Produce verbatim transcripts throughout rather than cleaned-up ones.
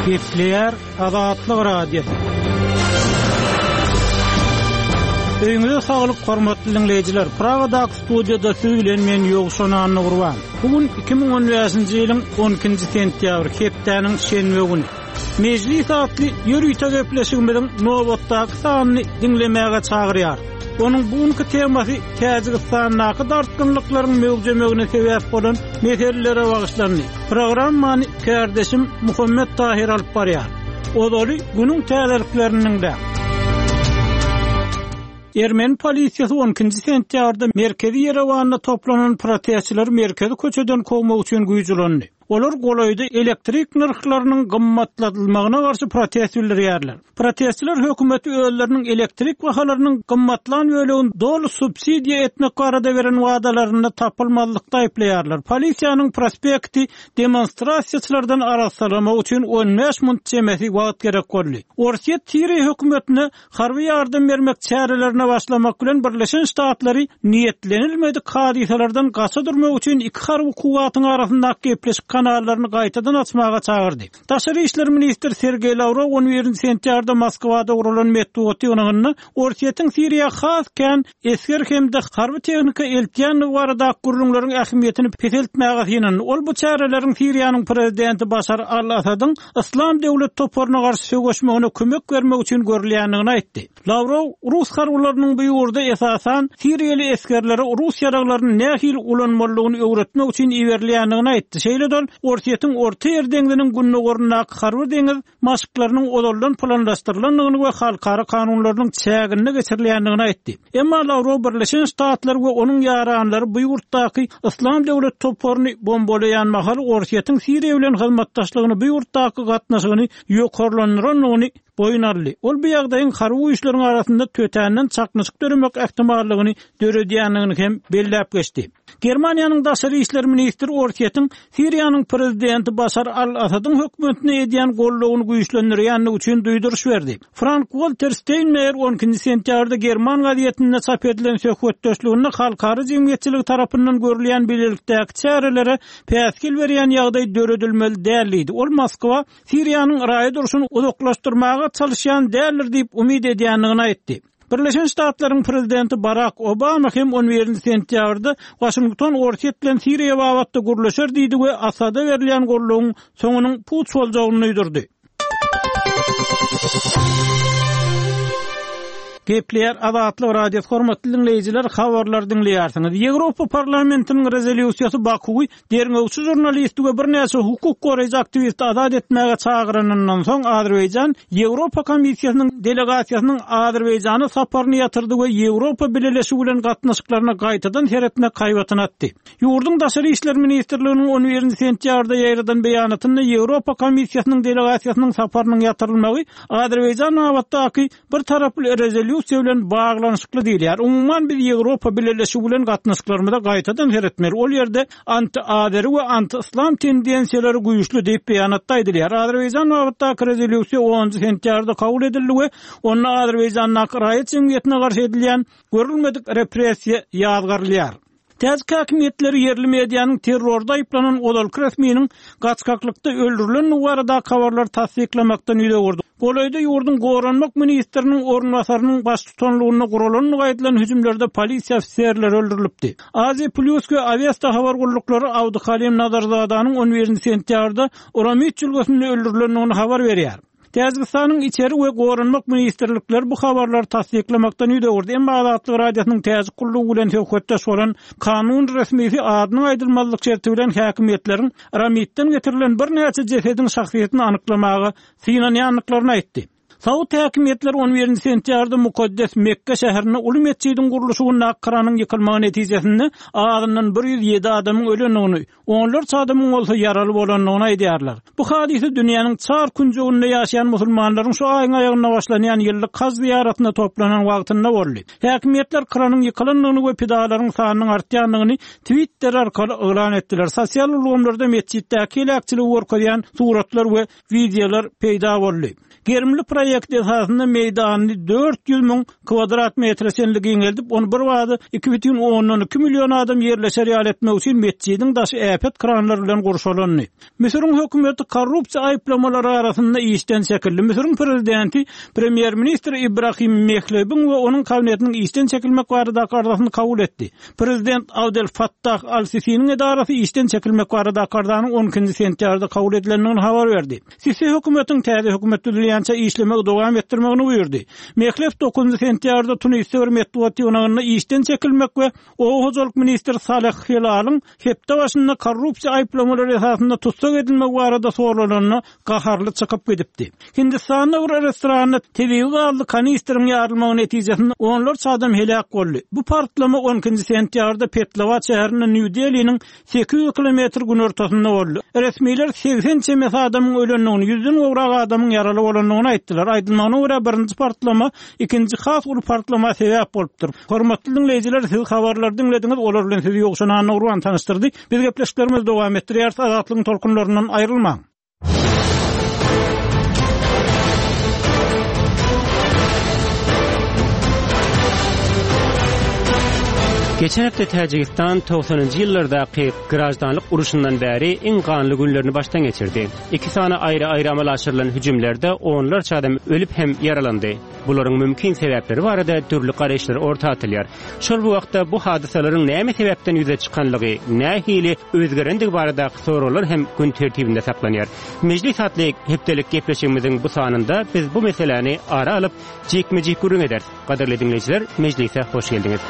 Gepleýär Azatlyk Radiosy. Öýüňize saglyk hormatly diňleýjiler. Pragadaky studiýada siz bilen men Ýowşan Annagurban. Bu gün iki müň on bäşinji ýylyň on ikinji sentýabry, hepdäniň şenbe güni. Mejlis atly ýörite gepleşigimiziň nobatdaky sanyny diňlemäge çagyrýar. Onuň bu günki temasy Täjigistandaky dartgynlyklaryň möwjemegine sebäp bolan meselelere bagyşlandy. Programmany kärdeşim Muhammet Tahir alyp barýar. Ozaly günüň täzelikleriniň de. Ermeni polisiýasy on ikinji sentýabrda merkezi Ýerewanda toplanan protestçileri merkezi köçeden kowmak üçin güýç ulandy. Olar golaýda elektrik nyrhlarynyň gymmatladylmagyna garşy protest bildirýärler. Protestçiler hökümeti özleriniň elektrik bahalarynyň gymmatlan bölegini doly subsidiýa etmek barada beren wadalarynda tapylmazlykda aýyplaýarlar. Polisiýanyň prospekti demonstrasiýaçylardan arassalamak üçin on bäş minut çemesi wagt gerek boldy. Orsýet Siriýa hökümetine harby ýardam bermek çärelerine başlamak bilen Birleşen Ştatlary niýetlenilmedik hadysalardan gaça durmak üçin iki harby kuwwatyň arasyndaky gepleşik kanallaryny gaýtadan açmaga çagyrdy. Daşary işler ministri Sergeý Lawrow on birinji sentýabrda Moskwada guralan metbugat ýygnagynda Orsýetiň Siriýa has kän esger hem-de harby tehnika eltýändigi baradaky gürrüňleriň ähmiýetini peseltmäge synandy. Ol bu çäreleriň Siriýanyň prezidenti Başar al-Asadyň Islam döwlet toparyna garşy söweşmegine kömek bermek üçin görülýändigini aýtdy. Lawrow Rus harbylarynyň bu ýurda esasan Siriýaly esgerlere Rus ýaraglaryny nähili ulanmalydygyny öwretmek üçin iberilýändigini aýtdy. Şeýle-de ol Orsýetiň Orta Ýer deňziniň gündogaryndaky harby deňiz maşklarynyň ozaldan planlaşdyrylandygyny we halkara kanunlarynyň çäginde geçirilýändigini aýtdy. Emma Lawrow Birleşen Ştatlar we onuň ýaranlary bu ýurtdaky Islam döwlet toparyny bombalaýan mahal Orsýetiň Siriýa bilen hyzmatdaşlygyny bu ýurtdaky gatnaşygyny ýokarlandyrandygyny boýun aldy. Ol bu ýagdaýyň harby güýçleriň arasynda tötänden çaknyşyk döremek ähtimallygyny döredýändigini hem belläp geçdi. Germaniýanyň daşary işler ministri Orsýetiň Siriýanyň prezidenti Başar al-Asadyň hökümetine edýän goldawyny güýçlendirýändigi üçin duýduryş berdi. Frank-Walter Steinmeier on ikinji sentýabrda German gazetinde çap edilen söhbetdeşliginde halkara jemgyýetçiligi tarapyndan görülýän bilelikdäki çärelere päsgel berýän ýagdaý döredilmeli däl diýdi. Ol Moskwa Siriýanyň raýat urşuny uzaklaşdyrmaga çalışýan däldir diýip umyt edýändigini aýtdy. Birleşen Ştatlaryň prezidenti Barack Obama hem on birinji sentýabrda Washington Orsýet bilen Siriýa babatda gürleşer diýdi we Asada berilýän goldawyň soňunyň puç boljagyny duýdurdy. Gepleýär Azatlyk Radiosy hormatly dinleýjiler, habarlar dinleýärsiňiz. Ýewropa Parlamentiniň rezolýusiýasy Bakuwy derňewçi žurnalisti we birnäçe hukuk goraýjy aktiwisti azat etmäge çagyranyndan soň Azerbaýjan Ýewropa Komissiýasynyň delegasiýasynyň Azerbaýjana saparyny ýatyrdy we Ýewropa Bileleşigi bilen gatnaşyklaryna gaýtadan seretmek haýbatyny atdy. Ýurduň Daşary işler ministrliginiň on birinji sentýabrda ýaýradan beýanatynda Ýewropa Komissiýasynyň delegasiýasynyň saparynyň ýatyrylmagy Azerbaýjan babatdaky bir taraply rezolýusiýa bilen baglanyşykly diýilýär. Umuman biz Ýewropa Bileleşigi bilen gatnaşyklarymyza gaýtadan seretmeli. Ol ýerde anti-Azeri we anti-Islam tendensiýalary güýçli diýip beýanatda aýdylýar. Azerbaýjan babatdaky rezolýusiýa onunjy sentýabrda kabul edildi we onda Azerbaýjandaky raýat jemgyýetine garşy edilýän görülmedik repressiýa ýazgarylýar. Täjik häkimiýetleri ýerli medianyň terrorda aýyplanan ozalky resminiň gaçgaklykda öldürilendigi baradaky habarlary tassyklamakdan ýüz öwürdi. Golaýda ýurduň goranmak ministriniň orunbasarynyň baştutanlygynda guralandygy aýdylan hüjümlerde polisiýa ofiserleri öldürilipdi. Aziýa Plus we Awesta habar gulluklary Abduhalim Nazarzadanyň on birinji sentýabrda Uramit jülgesinde öldürilendigini habar berýär. Täjigistanyň içeri we goranmak ministrlikleri bu habarlary tassyklamakdan ýüz öwürdi. Emma Azatlyk Radiosynyň Täjik gullugy bilen söhbetdeş bolan kanun resmisi adynyň aýdylmazlyk şerti bilen häkimiýetleriň Ramitden getirilen birnäçe jesediň şahsyýetini anyklamaga synanýandyklaryny aýtdy. Saud häkimiýetleri on birinji sentýabrda mukaddes Mekke şäherinde uly metjidiň gurluşygyndaky kranyň ýykylmagy netijesinde azyndan bir ýüz ýedi adamyň ölendigini, onlarça adamyň bolsa ýaraly bolandygyny aýdýarlar. Bu hadysa dünýäniň çar künjeginde ýaşaýan musulmanlaryň şu aýyň aýagynda başlanýan ýyllyk haj zyýaratyna toplanan wagtynda boldy. Häkimiýetler kranyň ýykylandygyny we pidalaryň sanynyň artýandygyny Twitter arkaly yglan etdiler. Sosial ulgamlarda metjitdäki heläkçiligi görkezýän suratlar we wideolar peýda boldy. Gerimli proýekt proýekt esasynda meýdanyny dört ýüz müň kwadrat metre çenli giňeldip, ony birbada iki bütin ondan iki million adam ýerleşer ýaly etmek üçin metjidiň daşy äpet kranlar bilen gurşalandy. Müsüriň hökümeti korrupsiýa aýyplamalary arasynda işden çekildi. Müsüriň prezidenti premýer-ministr Ibrahim Mehlebiň we onuň kabinetiniň işden çekilmek baradaky arzasyny kabul etdi. Prezident Abdel Fattah al-Sisiniň edarasy işden çekilmek baradaky arzanyň on ikinji sentýabrda kabul edilendigini habar berdi. Sisi hökümetiň täze hökümet düzülýänçä işlemegi dowam etdirmegini buýurdy. Mehleb dokuzynjy sentýabrda Tunisde bir metbugat ýygnagynda işden çekilmek we oba hojalyk ministri Saleh Helalyň hepde başynda korrupsiýa aýyplamalary esasynda tussag edilmegi barada soralanda gaharly çykyp gidipdi. Hindistanda bir restoranda tebigy gazly kanistriň ýarylmagy netijesinde onlarça adam heläk boldy. Bu partlama on ikinji sentýabrda Petlawat şäherinde Nýu-Deliniň sekiz ýüz kilometr günortasynda boldy. Resmiler segsen çemesi adamyň ölendigini, ýüzden gowrak adamyň ýaraly bolandygyny aýtdylar. Aýdylmagyna görä birinji partlama ikinji has uly partlama sebäp bolupdyr. Hormatly dinleýjiler, siz habarlary diňlediňiz, olar bilen sizi Ýowşan Annagurban tanyşdyrdy. Biz gepleşiklerimizi dowam etdirýäris. Azatlygyň tolkunlaryndan aýrylmaň. Geçen hepde Täjigistan togsanynjy ýyllardaky graždanlyk uruşyndan bäri iň ganly günlerini başdan geçirdi. Iki sany aýry-aýry amala aşyrylan hüjümlerde onlarça adam ölüp hem ýaralandy. Bularyň mümkin sebäpleri barada dürli garaýyşlar orta atylýar. Şol bu wagtda bu hadysalaryň näme sebäpden ýüze çykanlygy, nähili özgerendigi baradaky soraglar hem gün tertibinde saklanýar. Mejlis atly hepdelik gepleşigimiziň bu sanynda biz bu meseläni ara alyp jikme-jik gürrüň ederis. Gadyrly dinleýjiler, mejlise hoş geldiňiz.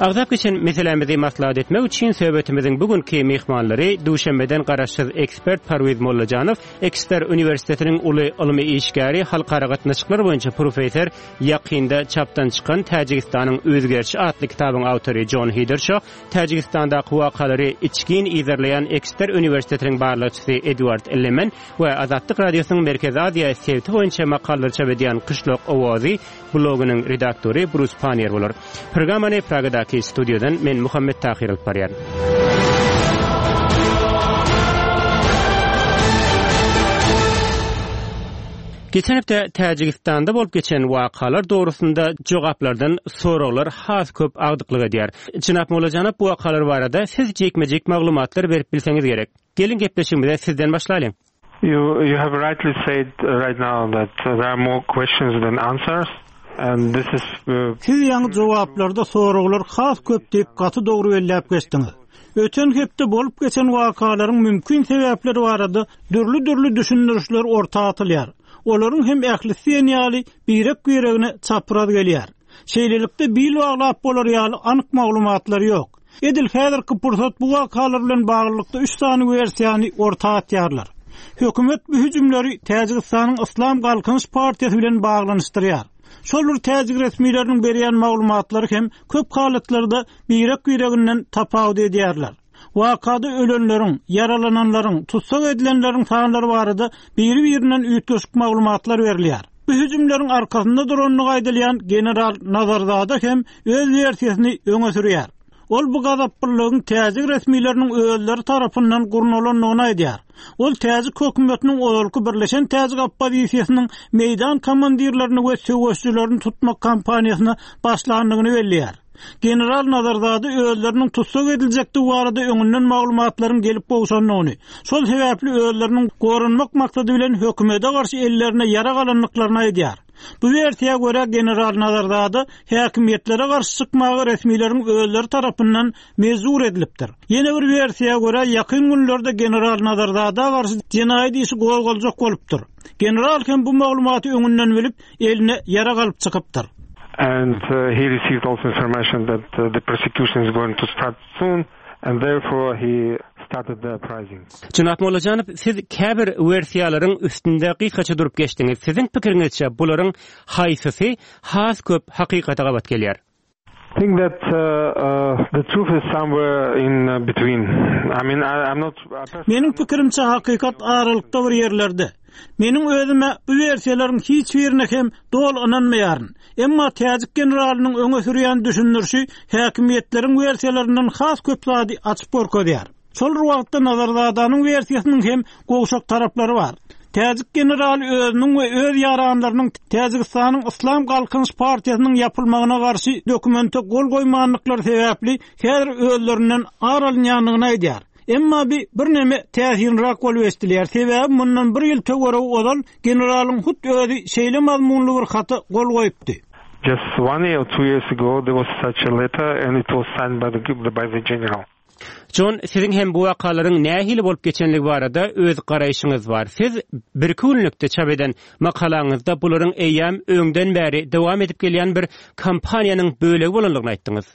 Agzap geçen meselämizi maslahat etmek üçin söhbetimiziň bugünkü mehmanlary Duşenbeden garaşsyz ekspert Parwiz Mollajanow, Eksper Üniversitetiniň uly ylmy işgäri, halkara gatnaşyklar boýunça professor, ýakynda çapdan çykan Täjigistanyň özgerişi atly kitabyň awtory John Hiderşo, Täjigistandaky wakalary içgin izerleýän Eksper Üniversitetiniň barlagçysy Edward Lemen we Azatlyk Radiosynyň Merkezi Aziýa sebiti boýunça makalalar çap edýän Kyşlok Owazy blogynyň redaktory Bruce Pannier bolar. Programmany Pragadaky studiýadan men Muhammet Tahir alyp barýan. Geçen hepde Täjigistanda bolup geçen wakalar dogrusynda jogaplardan soraglar has köp agdyklyk edýär. Jenap Mollajanov, bu wakalar barada siz jikme-jik maglumatlar berip bilseňiz gerek. Gelin gepleşigimize sizden başlalyň. You, you have rightly said right now that there are more questions than answers. And this is, uh, Siz ýaňy jogaplarda soraglar has köp diýip gaty dogry belläp geçdiňiz. Öten hepde bolup geçen wakalaryň mümkin sebäpleri barada dürli-dürli düşündirişler orta atylýar. Olaryň hem ählisi diýen ýaly birek-biregine çapraz gelýär. Şeýlelikde bil baglap bolar ýaly anyk maglumatlar ýok. Edil häzirki pursat bu wakalar bilen baglylykda üç sany wersiýany orta atýarlar. Hökümet bu hüjümleri Täjigistanyň Islam Galkynyş Partiýasy bilen baglanyşdyrýar. Şol bir täjik resmileriniň berýän maglumatlary hem köp halatlarda birek-bireginden tapawut edýärler. Wakada ölenleriň, ýaralananlaryň, tussag edilenleriň sanlary barada biri-birinden üýtgeşik maglumatlar berilýär. Bu hüjümleriň arkasynda durandygy aýdylýan General Nazarzada hem öz wersiýasyny öňe sürýär. Ol bu gazaplylygyň täjik resmileriniň özleri tarapyndan gurnalandygyny aýdýar. Ol täjik hökümetiniň ozalky Birleşen Täjik Oppozisiýasynyň meýdan komandirlerini we söweşçilerini tutmak kampaniýasyna başlandygyny belleýär. General Nazarzada özleriniň tussag ediljekdigi barada öňünden maglumatlaryň gelip gowşandygyny, şol sebäpli özleriniň goranmak maksady bilen hökümete garşy ellerine ýara galandyklaryny aýdýar. Bu wersiýa görä General Nazarzada häkimiýetlere garşy çykmagy resmileriň özleri tarapyndan mejbur edilipdir. Ýene bir wersiýa görä ýakyn günlerde General Nazarzada garşy jenaýat işi gozgaljak bolupdyr. General hem bu maglumaty öňünden bilip, eline ýara galyp çykypdyr. And, uh, he received also information that, uh, the prosecution is going to start soon, and therefore he started the uprising. Jenap Mollajanow, siz käbir wersiýalaryň üstünde gysgaça durup geçdiňiz. Siziň pikiriňizçe bularyň haýsysy has köp hakykata gabat gelýär? I think that, uh, uh, the truth is somewhere in, uh, between. I mean, I, I'm not, I personally Meniň pikirimçe hakykat aralykda bir ýerlerde. Meniň özüme bu wersiýalaryň hiç birine hem doly ynanmaýaryn. Emma täjik generalynyň öňe sürýän düşündirişi häkimiýetleriň wersiýalaryndan has köp zady açyp görkezýär. Şol bir wagtda Nazarzadanyň wersiýasynyň hem gowşak taraplary bar. Täjik generaly özüniň we öz ýaranlarynyň Täjigistanyň Yslam Galkynyş partiýasynyň ýapylmagyna garşy dokumente gol goýmanlyklary sebäpli häzir özlerinden ar alynýandygyny aýdýar. Emma bi birneme täsirliräk bolup eşdilýär. Sebäbi mundan bir ýyl töweregi ozal generalyň hut özi şeýle mazmunly bir hata gol goýupdy. Just one year or two years ago there was such a letter and it was signed by the by the general. Jon, siziň hem bu wakalaryň nähili bolup geçenligi barada öz garaýşyňyz bar. Siz bir günlükde çap eden makalaňyzda bularyň eýýäm öňden bäri dowam edip gelýän bir kampaniýanyň bölegi bolanlygyny aýtdyňyz.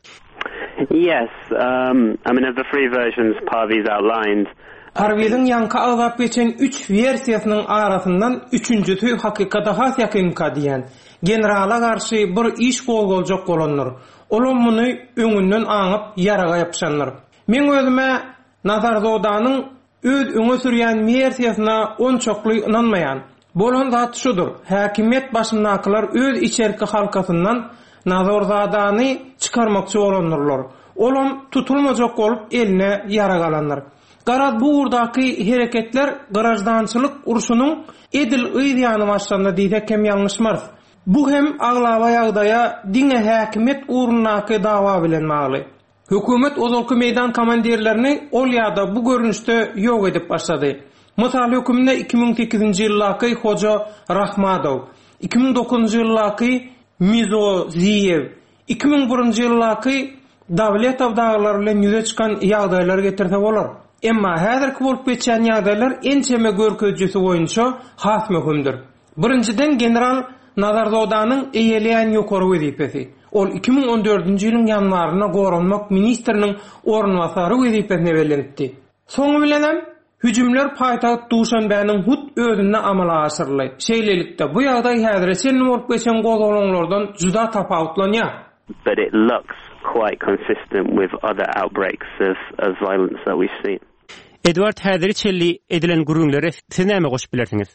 Yes, um, I mean, of the three versions Parviz outlined, Parwiziň ýaňky agzap geçen üç wersiýasynyň arasyndan üçünjisi hakykata has ýakynka diýen. Generala garşy bir iş gozgaljak bolandyr. Olam muny öňünden aňyp ýaraga ýapyşandyr. Men özüme Nazarzodanyň öz öňe sürýän wersiýasyna onçakly ynanmaýan. Bolan zat şudur. Häkimiýet başyndakylar öz içerki halkasyndan Nazarzadany çykarmakçy bolandyrlar. Olam tutulmajak bolup eline ýarag alandyr. Garaz bu ugurdaky hereketler graždançylyk urşunyň edil yz ýany başlandy diýsek hem ýalňyşmarys. Bu hem aglaba ýagdaýa diňe häkimiýet ugrundaky dawa bilen bagly. Hökümet ozalky meýdan komandirlerini ol ýa-da bu görnüşde ýok edip başlady. Mysal hökmünde iki müň sekizinji ýyldaky Hoja Rahmadow, iki müň dokuzynjy ýyldaky Mizoziýew, iki müň birinji ýyldaky Dawletow daglary bilen ýüze çykan ýagdaýlar getirse bolar. Emma häzirki bolup geçýän ýagdaýlar ençeme görkezijisi boýunça has möhümdir. Birinjiden general Nazarzodanyň eýeleýän ýokary wezipesi. Ol iki müň on dördünji ýylyň ýanwarynda goranmak ministriniň orunbasary wezipesine bellenipdi. Soňy bilenem hüjümler paýtagt Duşanbäniň hut özünde amala aşyryldy. Şeýlelikde bu ýagdaý häzire çenli bolup geçen gozgalaňlardan juda tapawutlanýar. But it looks quite consistent with other outbreaks of, of violence that we've seen. Edward, häzir çenli edilen gürrüňlere siz näme goşup bilersiňiz?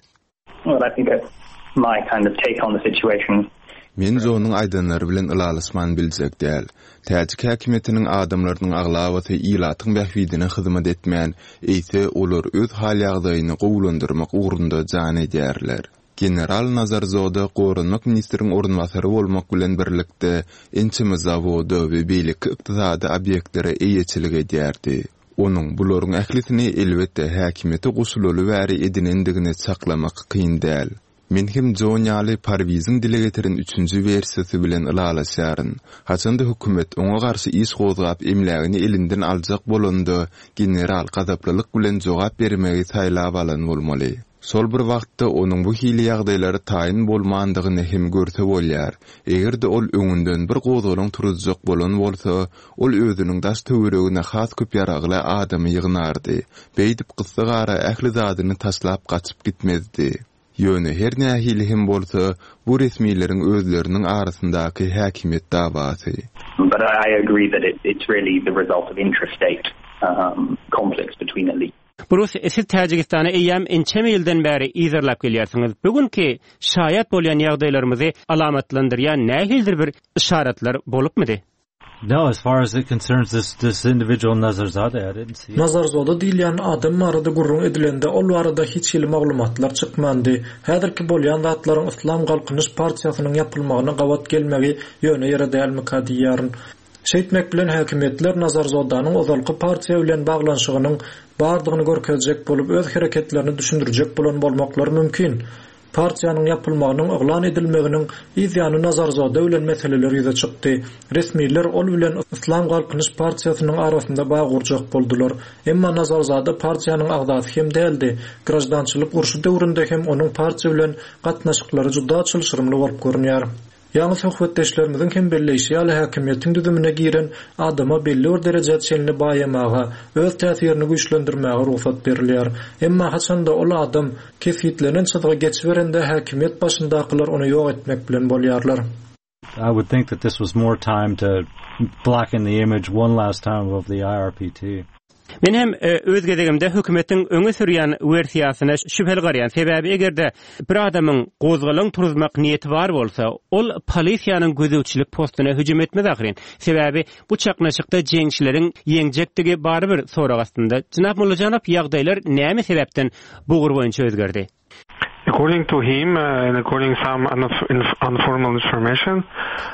Well, I think that's my kind of take on the situation. Men Jonuň aýdanlary bilen ylalaşman biljek däl. Täjik häkimiýetiniň adamlarynyň aglabasy ilatyň bähbidine hyzmat etmän, eýse olar öz hal ýagdaýyny gowulandyrmak ugrunda jan edýärler. General Nazarzoda goranmak ministriň orunbasary bolmak bilen birlikde ençeme zawoda we beýleki ykdysady obýektlere eýeçilik edýärdi. Onuň bularyň ählisini elbetde häkimiýete goşulaly bäri edinendigini çaklamak kyn däl. Men hem Jon ýaly Parwiziň dile getiren üçünji wersiýasy bilen ylalaşýaryn. Haçanda hökümet oňa garşy iş gozgap emlägini elinden aljak bolanda, general gazaplylyk bilen jogap bermegi saýlap alan bolmaly. Şol bir wagtda onuň bu hili ýagdaýlary taýyn bolmandygyny hem görse bolýar. Eger-de ol öňünden bir gozgalaň turuzjak bolan bolsa, ol özüniň daş töweregine has köp ýaragly adamy ýygnardy. Beýdip gyssagara ähli zadyny taşlap gaçyp gitmezdi. Ýöne her nähili hem bolsa, bu resmileriň özleriniň arasyndaky häkimiýet dawasy. But I agree that it, it's really the result of intrastate, um, conflicts between elites. Brus, siz Täjigistana eýýäm ençeme ýyldan bäri yzarlap gelýärsiňiz. Bugünkü şaýat bolýan ýagdaýlarymyzy alamatlandyrýan nähilidir bir işaretler bolupmydy? No, as far as it concerns this, this individual Nazarzada, I didn't see it. Nazarzoda diýilýän adam barada gürrüň edilende ol barada hiç hili maglumatlar çykmandy. Häzirki bolýan zatlaryň Yslam Galkynyş partiýasynyň ýapylmagyna gabat gelmegi ýöne ýere dälmika diýýärin. Şeýtmek bilen häkimiýetler Nazarzodanyň ozalky partiýa bilen baglanyşygynyň bardygyny görkezjek bolup öz hereketlerini düşündirjek bolan bolmaklary mümkin. Partiýanyň ýapylmagynyň yglan edilmeginiň yz ýany Nazarzoda bilen meseleler ýüze çykdy. Resmiler ol bilen Yslam Galkynyş partiýasynyň arasynda bag gurjak boldular. Emma Nazarzada partiýanyň agzasy hem däldi. Grajdançylyk urşy döwründe hem onuň partiýa bilen gatnaşyklary juda çylşyrymly bolup görünýär. Ýaňy söhbetdeşlerimiziň hem belleýşi ýaly häkimiýetiň düzümine giren adama belli bir derejä çenli baýamaga, öz täsirini güýçlendirmäge rugsat berilýär. Emma haçanda ol adam kesgitlenen çyzga geçiberende häkimiýet başyndakylar ony ýok etmek bilen bolýarlar. I would think that this was more time to blacken the image one last time of the I R P T. Men hem öz gezegimde hökümetiň öňe sürýän wersiýasyna şübheli garaýan. Sebäbi eger-de bir adamyň gozgalaň turuzmak niýeti bar bolsa, ol polisiýanyň gözegçilik postuna hüjüm etmez ahyryn. Sebäbi bu çaknyşykda jeňçileriň ýeňjekdigi barybir sorag astynda. Jenap Mollajanow, ýagdaýlar näme sebäpden bu ugur boýunça özgerdi? According to him, uh, and according some informal information,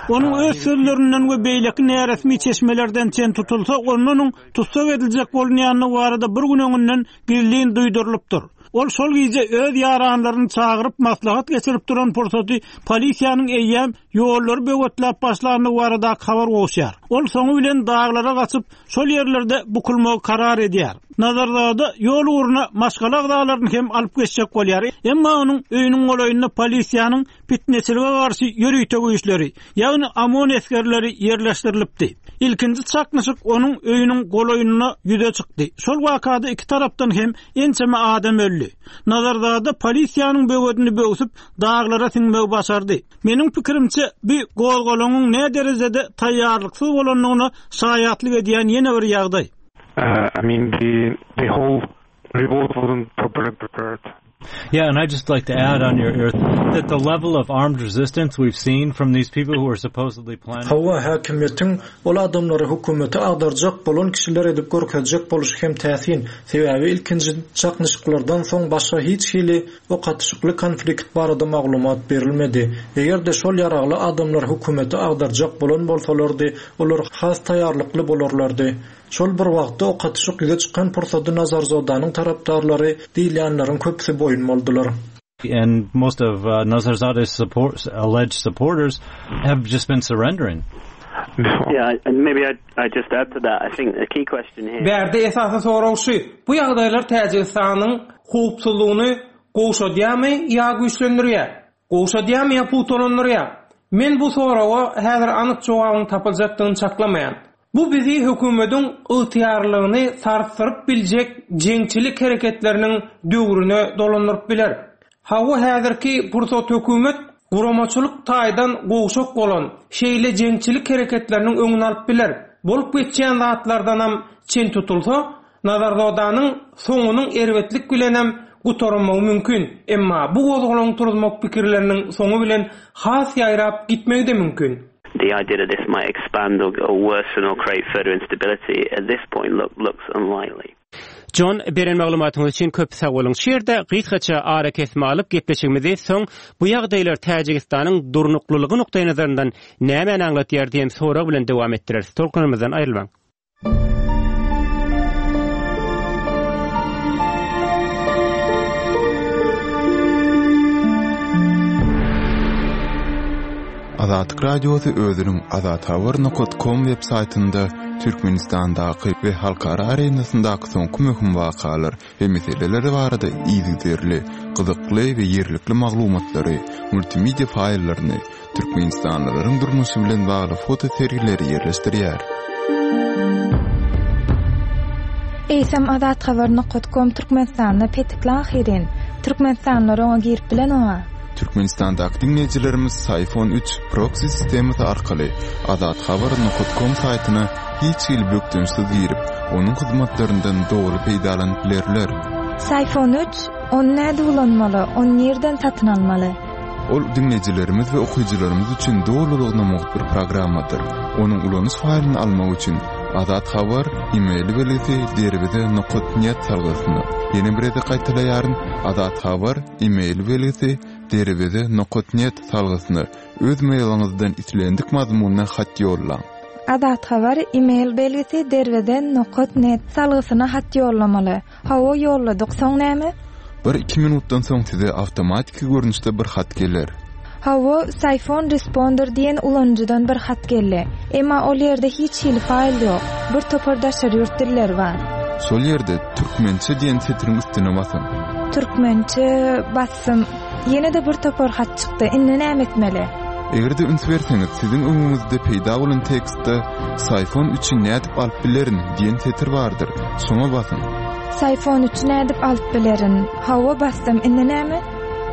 Onuň öz sözlerinden we beýleki näresmi çeşmelerden çen tutulsa, onuň tussag ediljek bolunýanlygy barada bir gün öňünden gizlin duýdurylypdyr. Ol şol gije öz ýaranlaryny çagyryp maslahat geçirip duran pursaty polisiýanyň eýýäm ýollary böwetläp başlandygy barada habar gowşýar. Ol soňy bilen daglara gaçyp, şol ýerlerde bukulmagy karar edýär. Nazarzada ýol ugruna maşgala agzalaryny hem alyp geçjek bolýar. Emma onuň öýüniň golaýynda polisiýanyň fitneçilige garşy ýörite güýçleri, ýagny OMON esgerleri ýerleşdirilipdi. Ilkinji çaknyşyk onuň öýüniň golaýynda ýüze çykdy. Şol wakada iki tarapdan hem ençeme adam öldi. Nazarzada polisiýanyň böwedini böwsüp daglara siňmegi başardy. Meniň pikirimçe bu gozgalaňyň ne derejede taýýarlyksyz bolandygyna şaýatlyk edýän ýene bir ýagdaý. Uh, I mean, the, the whole revolt wasn't properly prepared. Yeah, and I'd just like to add on your, your that the level of armed resistance we've seen from these people who are supposedly planning Hawa häkimiýetiň ol adamlary hökümete agdarjak bolan kişiler edip görkezjek boluşy hem täsin. Sebäbi ilkinji çaknyşyklardan soň başga hiç hili ok atyşykly konflikt barada maglumat berilmedi. Eger-de şol ýaragly adamlar hökümete agdarjak bolan bolsalardy, olar has taýýarlykly bolarlardy. Şol bir wagtda ok atyşyk ýüze çykan pursady Nazarzodanyň tarapdarlary diýilýänleriň köpüsi boýun boldular. And most of uh, Nazarzada's support, alleged supporters have just been surrendering. Yeah, and maybe I'd, I'd just add to that. I think the key question here... Bärde esasy sorag şu, bu ýagdaýlar Täjigistanyň howpsuzlygyny gowşadýarmy ýa güýçlendirýär? Gowşadýarmy ýa pugtalandyrýar? Men bu soraga häzir anyk jogabyň tapyljakdygyny çaklamaýan. Bu bizi hökümetiň ygtyýarlygyny sarsdyryp biljek jeňçilik hereketleriniň döwrüne dolandyryp biler. Hawa häzirki pursat hökümet guramaçylyk taýdan gowşak bolan şeýle jeňçilik hereketleriniň öňüni alyp biler. Bolup geçýän zatlardanam çen tutulsa, Nazarzodanyň soňunyň erbetlik bilenem gutarmagy mümkin. Emma bu gozgalaň turuzmak pikirleriniň soňy bilen has ýaýrap gitmegi de mümkin. The idea that this might expand or, or worsen or create further instability at this point look, looks unlikely. John, beren maglumatyňyz üçin köp sag boluň. Şu ýerde gysgaça ara kesme alyp gepleşigimizi soň bu ýagdaýlar Täjigistanyň durnuklylygy nukdaýnazaryndan nämäni aňlatýar diýen sorag bilen dowam etdireris. Tolkunymyzdan aýrylmaň. Azatlyk Radiosy özüniň azathabar nokta com web saýtynda Türkmenistandaky we halkara arenasyndaky soňky möhüm wakalar we meseleler barada yzygiderli, gyzykly we ýerlikli maglumatlary, multimedia faýllaryny, Türkmenistanlylaryň durmuşy bilen bagly foto sergileri ýerleşdirýär. Eýsem azathabar nokta com Türkmenistanda petikli ahyrin. Türkmenistanlylar oňa girip bilen oňa. Türkmenistandaky diňleýjilerimiz Sayfon üç proxy sistemasy arkaly azathabar nokta com saýtyna hiç hili bökdençsiz girip, onuň hyzmatlaryndan doly peýdalanyp bilerler. Sayfon üç, ony näde ulanmaly, ony nirden satyn almaly? Ol diňleýjilerimiz we okyjylarymyz üçin dolulygyna mugt bir programmadyr. Onuň ulanyş faýlyny almak üçin Azat Habar e-mail belgisi derweze nokta net salgysyna. Ýene bir gezek gaýtalaýaryn, Azat Habar e-mail belgisi derweze nokta net salgysyna öz mailiňizden islendik mazmunda hat ýollaň. Azat Habar e-mail belgisi derweze nokta net salgysyna hat ýollamaly. Hawa ýolladyk, soň näme? Bir iki minutdan soň size awtomatiki görnüşde bir hat geler. Hawa, Sayfon Responder diýen ulanyjydan bir hat geldi. Emma ol ýerde hiç hili faýl ýok. Bir topar daşary ýurt dilleri bar. Şol ýerde türkmençe diýen setiriň üstüne basyň. Türkmençe basym. Ýene-de bir topar hat çykdy. Indi näme etmeli? Eger-de üns berseňiz, siziň öňüňizde peýda bolan tekstde Sayfon üçi nädip alyp bilerin diýen setir bardyr. Şoňa basyň. Sayfon üçi nädip alyp bilerin? Hawa basdym. Indi näme?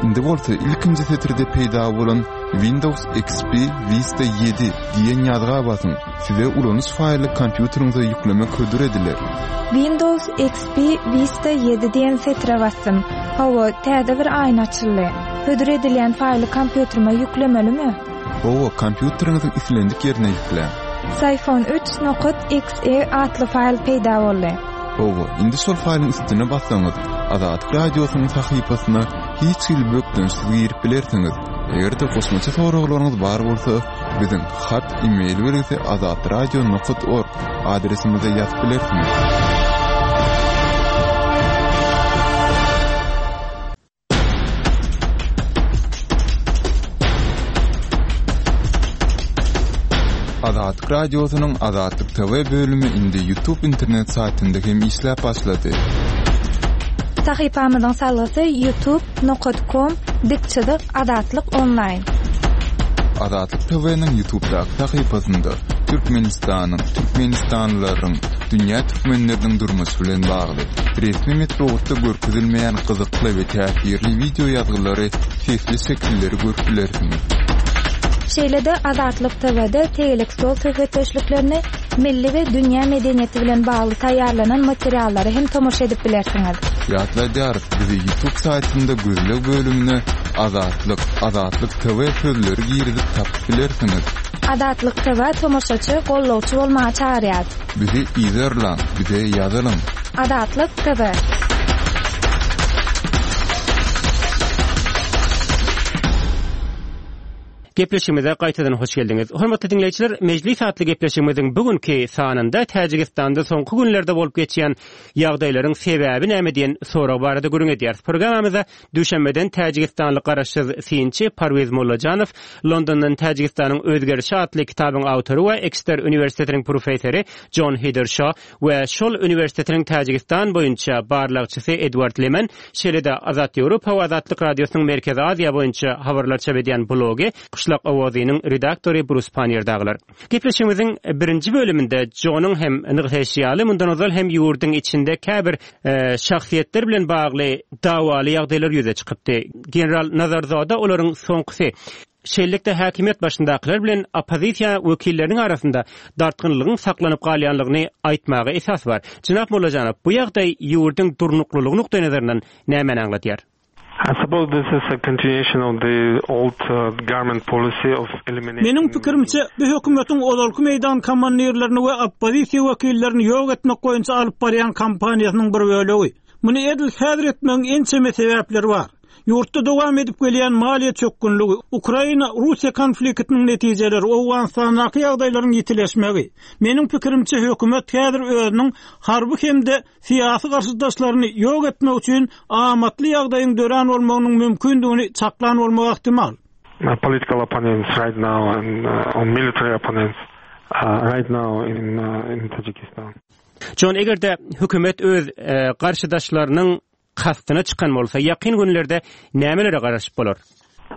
Indi bolsa ilkinji setirde peýda bolan Windows X P Vista ýedi diýen ýazga basyň. Size ulanyş faýly kompýuteriňize ýüklemek hödür ediler. Windows X P Vista ýedi diýen setre basdym. Hawa, täze bir aýna açyldy. Hödür edilýän faýly kompýuterime ýüklemelimi? Hawa, kompýuteriňiziň islendik ýerine ýükläň. Psiphon üç nokat X E atly faýl peýda boldy. Hawa, indi şol faýlyň üstüne bassaňyz, Azatlyk Radiosynyň sahypasyna hiç hili bökdençsiz girip bilersiňiz. Eger-de goşmaça soraglaryňyz bar bolsa, biziň hat e-mail belgisi azatradio nokat org adresimize ýazyp bilersiňiz. Azatlyk Radiosynyň Azatlyk T V bölümi indi YouTube internet saýtynda hem işläp başlady. Sahypamyzyň salgysy youtube nokat com dik çyzyk Azatlyk online. Azatlyk T V-niň YouTube'daky sahypasynda Türkmenistanyň, Türkmenistanlylaryň, dünýä türkmenleriniň durmuşy bilen bagly resmi metbugatda görkezilmeýän gyzykly we täsirli wideo ýazgylary, sesli şekilleri görüp bilersiňiz. Şeýle-de Azatlyk T V-de tegelek stol söhbetdeşliklerini, milli we dünýä medeniýeti bilen bagly taýýarlanan materiallary hem tomaşa edip bilersiňiz. Ýatladýarys, bizi YouTube saýtynda gözleg bölümine Azatlyk, Azatlyk T V sözleri girizip tapyp bilersiňiz. Azatlyk T V tomaşaçy, gollawçy bolmaga çagyrýar. Bizi izerlaň, bize ýazylyň. Azatlyk T V. Gepleşigimize gaýtadan hoş geldiňiz. Hormatly diňleýjiler, Mejlis atly gepleşigimiziň bugünkü sanynda Täjigistanda soňky günlerde bolup geçýän ýagdaýlaryň sebäbi näme diýen sorag barada gürrüň edýäris. Programmamyzda Duşenbeden Täjigistanly garaşsyz synçy Parwiz Mollajanow, Londondan Täjigistanyň özgerişi atly kitabyň awtory we Exeter Uniwersitetiniň professory John Heathershaw we şol uniwersitetiniň Täjigistan boýunça barlagçysy Edward Leman, şeýle-de Azat Ýewropa we Azatlyk Radiosynyň Merkezi Aziýa boýunça habarlar çap edýän blogy Qışlaq Owazynyň redaktory Brus Pannier dagylar. Gepleşigimiziň birinji bölüminde John'uň hem nygtaýşy ýaly mundan ozal hem ýurduň içinde käbir, e, şahsyýetler bilen bagly dawaly ýagdaýlar ýüze çykypdy. General Nazarzoda olaryň soňkusy. Şeýlelikde häkimiýet başyndakylar bilen oppozisiýa wekilleriniň arasynda dartgynlygyň saklanyp galýanlygyny aýtmaga esas bar. Jenap Mollajanow, bu ýagdaý ýurduň durnuklylygy nukdaý nazaryndan nämäni aňladýar? I suppose this is a continuation of the old, uh, government policy of eliminating Meniň pikirimçe, bu hökümetiň ozalky meýdan komandirlerini we oppozisiýa wekillerini ýok etmek boýunça alyp barýan kampaniýasynyň bir bölegi. Muny edil häzir etmegiň ençeme sebäpleri bar. Ýurtda dowam edip gelýän maliýe çökgünligi, Ukraina-Russiýa konfliktiniň netijeleri, Owganystandaky ýagdaýlaryň ýitileşmegi. Meniň pikirimçe, hökümet häzir özüniň harby hem-de syýasy garşydaşlaryny ýok etmek üçin amatly ýagdaýyň dörän bolmagynyň mümkindigini çaklan bolmagy ähtimal. Uh, political opponents right now and, uh, on military opponents, uh, right now in, uh, in Tajikistan. John, eger-de hökümet öz, e, garşydaşlarynyň kastyna çykan bolsa, ýakyn günlerde nämelere garaşyp bolar?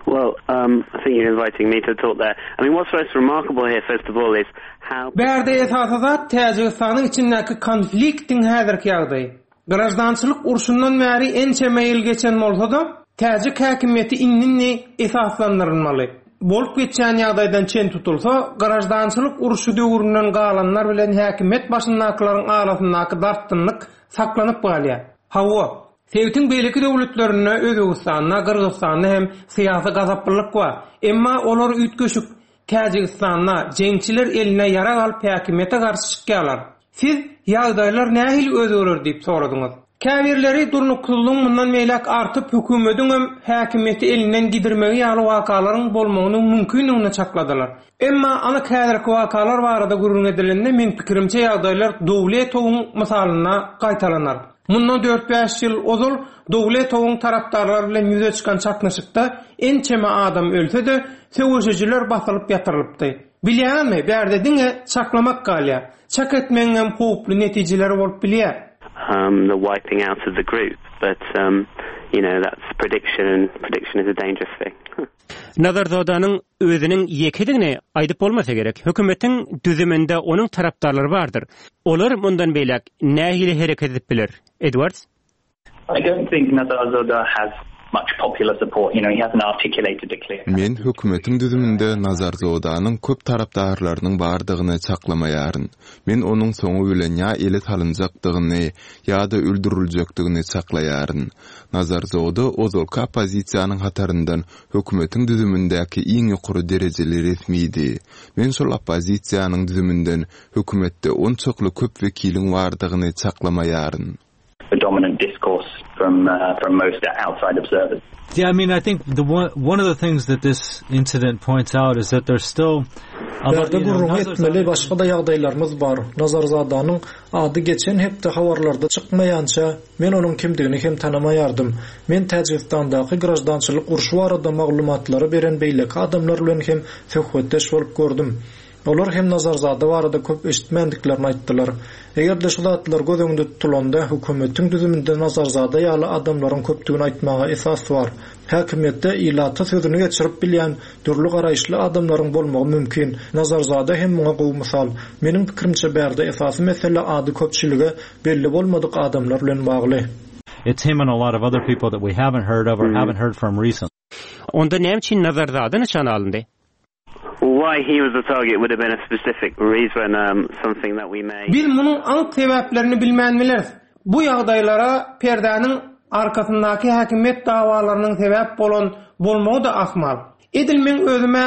Well, um, I think you're inviting me to talk there. I mean, what's most remarkable here, first of all, is how Bärde esasy zat Täjigistanyň içindäki konfliktiň häzirki ýagdaýy. Grajdançylyk urşundan bäri ençeme ýyl geçen bolsa-da, täjik häkimiýeti indi esaslandyrylmaly. Bolup geçýän ýagdaýdan çen tutulsa, grajdançylyk urşy döwründen galanlar bilen häkimiýet başyndakylaryň arasyndaky dartgynlyk saklanyp galýar. Hawa, sebitiň beýleki döwletlerinde Özbegistanda, Gyrgyzystanda hem syýasy gazaplylyk bar. Emma olar üýtgeşik Täjigistanda jeňçiler eline ýarag alyp häkimiýete garşy çykýarlar. Siz ýagdaýlar nähili özgerer diýip soradyňyz. Käbirleri durnuksyzlygyň mundan beýläk artyp hökümetiň hem häkimiýeti elinden gidirmegi ýaly wakalaryň bolmagynyň mümkindigini çakladylar. Emma anyk häzirki wakalar barada gürrüň edilende men pikirimçe ýagdaýlar Dowletowyň mysalynda gaýtalanar. Mundan dört-bäş ýyl ozal Dowletowyň tarapdarlary bilen ýüze çykan çaknyşykda ençeme adam ölse-de, söweşijiler basylyp ýatyrylypdy. Bilýärmi, bärde diňe çaklamak galýar. Çak etmegiň hem howply netijeleri bolup bilýär. Um, the wiping out of the group, but, um, you know, that's prediction, and prediction is a dangerous thing. Nazarzodanyň özüniň ýekedigini aýdyp bolmasa gerek. Hökümetiň düzüminde onuň tarapdarlary bardyr. Olar mundan beýläk nähili hereket edip biler? Edwards? I don't think Nazarzoda has much popular support. You know, he hasn't articulated a clear Men hökümetiň düzüminde Nazarzodanyň köp tarapdarlarynyň bardygyny çaklamaýaryn. Men onuň soňy bilen ýa ele salynjakdygyny ýa-da öldüriljekdigini çaklaýaryn. Nazarzoda ozalky oppozisiýanyň hataryndan hökümetiň düzümindäki iň ýokary derejeli resmidi. Men şol oppozisiýanyň düzüminden hökümetde onçakly köp wekiliň bardygyny çaklamaýaryn. The dominant discourse from uh, from most outside observers. Yeah, I mean, I think the one one of the things that this incident points out is that there's still Bärde gürrüň etmeli başga-da ýagdaýlarymyz bar. Nazarzadanyň ady geçen hepde habarlarda çykmaýança men onuň kimdigini hem tanamaýardym. Men Täjigistandaky graždançylyk urşy barada maglumatlary beren beýleki adamlar bilen hem söhbetdeş bolup gördüm. Olar hem Nazarzada barada köp eşitmändiklerini aýtdylar. Eger-de şu zatlar göz öňünde tutulanda hökümetiň düzüminde Nazarzada ýaly adamlaryň köpdügini aýtmaga esas bar. Häkimiýetde ilata sözüni geçirip bilýän dürli garaýyşly adamlaryň bolmagy mümkin. Nazarzada hem muňa gowy mysal. Meniň pikirimçe bärde esasy mesele ady köpçülige belli bolmadyk adamlar bilen bagly. It's him and a lot of other people that we haven't heard of or haven't heard from recently. Onda näme üçin Nazarzada nyşana alyndy? Why he was the target would have been a specific reason, um, something that we may... Biz munuň anyk sebäplerini bilmän bileris. Bu ýagdaýlara perdäniň arkasyndaky häkimiýet dawalarynyň sebäp bolan bolmagy-da ahmal. Edil meň özüm-ä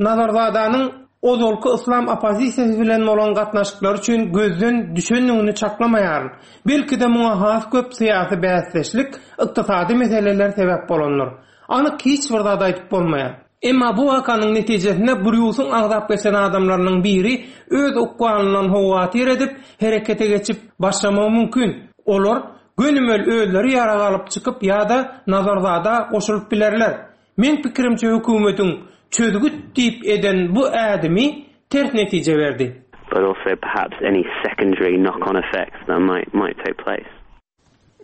Nazarzadanyň ozalky yslam oppozisiýasy bilen bolan gatnaşyklary üçin gözden düşendigini çaklamaýaryn. Belki-de muňa has köp syýasy bäsdeşlik, ykdysady meseleler sebäp bolandyr. Anyk hiç bir zat aýdyp bolmaýar. Emma bu wakanyň netijesinde Brýusyň agzap geçen adamlarynyň biri öz ykbalyndan howatyr edip, herekete geçip başlamagy mümkin. Olar gönümel özleri ýarag alyp çykyp ýa-da Nazarzada goşulyp bilerler. Meň pikirimçe hökümetiň çözgüt diýip eden bu ädimi ters netije berdi. But also perhaps any secondary knock-on effects that might might take place.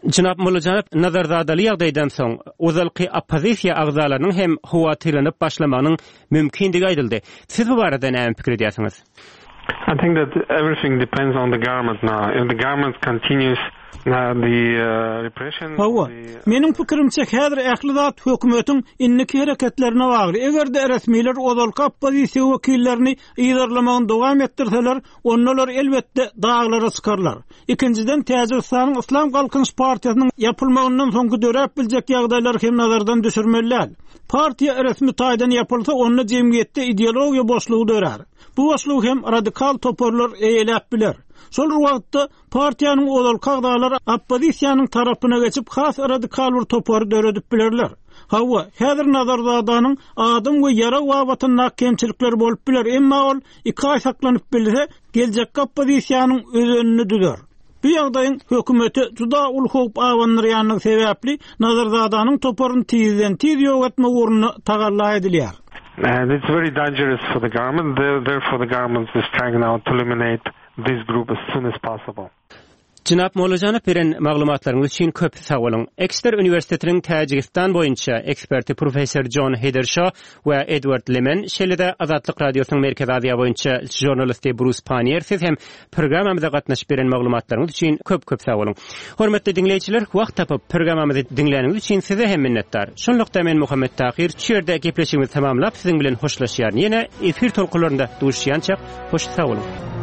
Jenap Mollajanow Nazarzadaly ýagdaýdan soň ozalky oppozisiýa agzalarynyň hem howatyrlanyp başlamagynyň mümkindigi aýdyldy. Siz bu barada näme pikir edýärsiňiz? I think that everything depends on the government now. If the government continues uh, the uh, repression Hawa, meniň pikirimçe häzir ähli zat hökümetiň indiki hereketlerine bagly. Eger-de resmiler ozalky oppozisiýa wekillerini yzarlamagyny dowam etdirseler, ondalar elbetde daglara çykarlar. Ikinjiden Täjigistanyň Yslam Galkynyş partiýasynyň ýapylmagyndan soňky döräp biljek ýagdaýlar hem nazardan düşürmeli däl. Partiýa resmi taýdan ýapylsa, onda jemgyýetde ideologiýa boşlugy dörär. Bu boşlugy hem radikal toparlar eýeläp biler. Şol wagtda partiýanyň ozalky agzalary oppozisiýanyň tarapyna geçip has radikal bir topary döredip bilerler. Hawa, häzir Nazarzadanyň adam we ýarag babatyndaky kemçilikler bolup biler, emma ol iki aý saklanyp bilse, geljekki oppozisiýanyň özenini düzer. Bu ýagdaýyň hökümete juda uly howp abandyrýanlygy sebäpli Nazarzadanyň toparyny tizden tiz ýok etmek ugrunda tagalla edilýär. And it's very dangerous for the government. Therefore, the government is trying now to eliminate this group as soon as possible. Jenap Mollajanow beren maglumatlaryňyz üçin köp sag boluň. Exeter Uniwersitetiniň Täjigistan boýunça eksperti professor John Heathershaw we Edward Lemen, şeýle-de Azatlyk Radiosynyň Merkezi Aziýa boýunça žurnalisti Bruce Pannier siz hem programmamyza gatnaşyp beren maglumatlaryňyz üçin köp-köp sag boluň. Hormatly diňleýjiler, wagt tapyp programmamyzy diňläniňiz üçin size hem minnetdar. Şunlukda men Muhammet Tahir şu ýerde gepleşigimizi tamamlap siziň bilen hoşlaşýaryn. Ýene efir tolkunlarynda duşuşýança hoş sag boluň.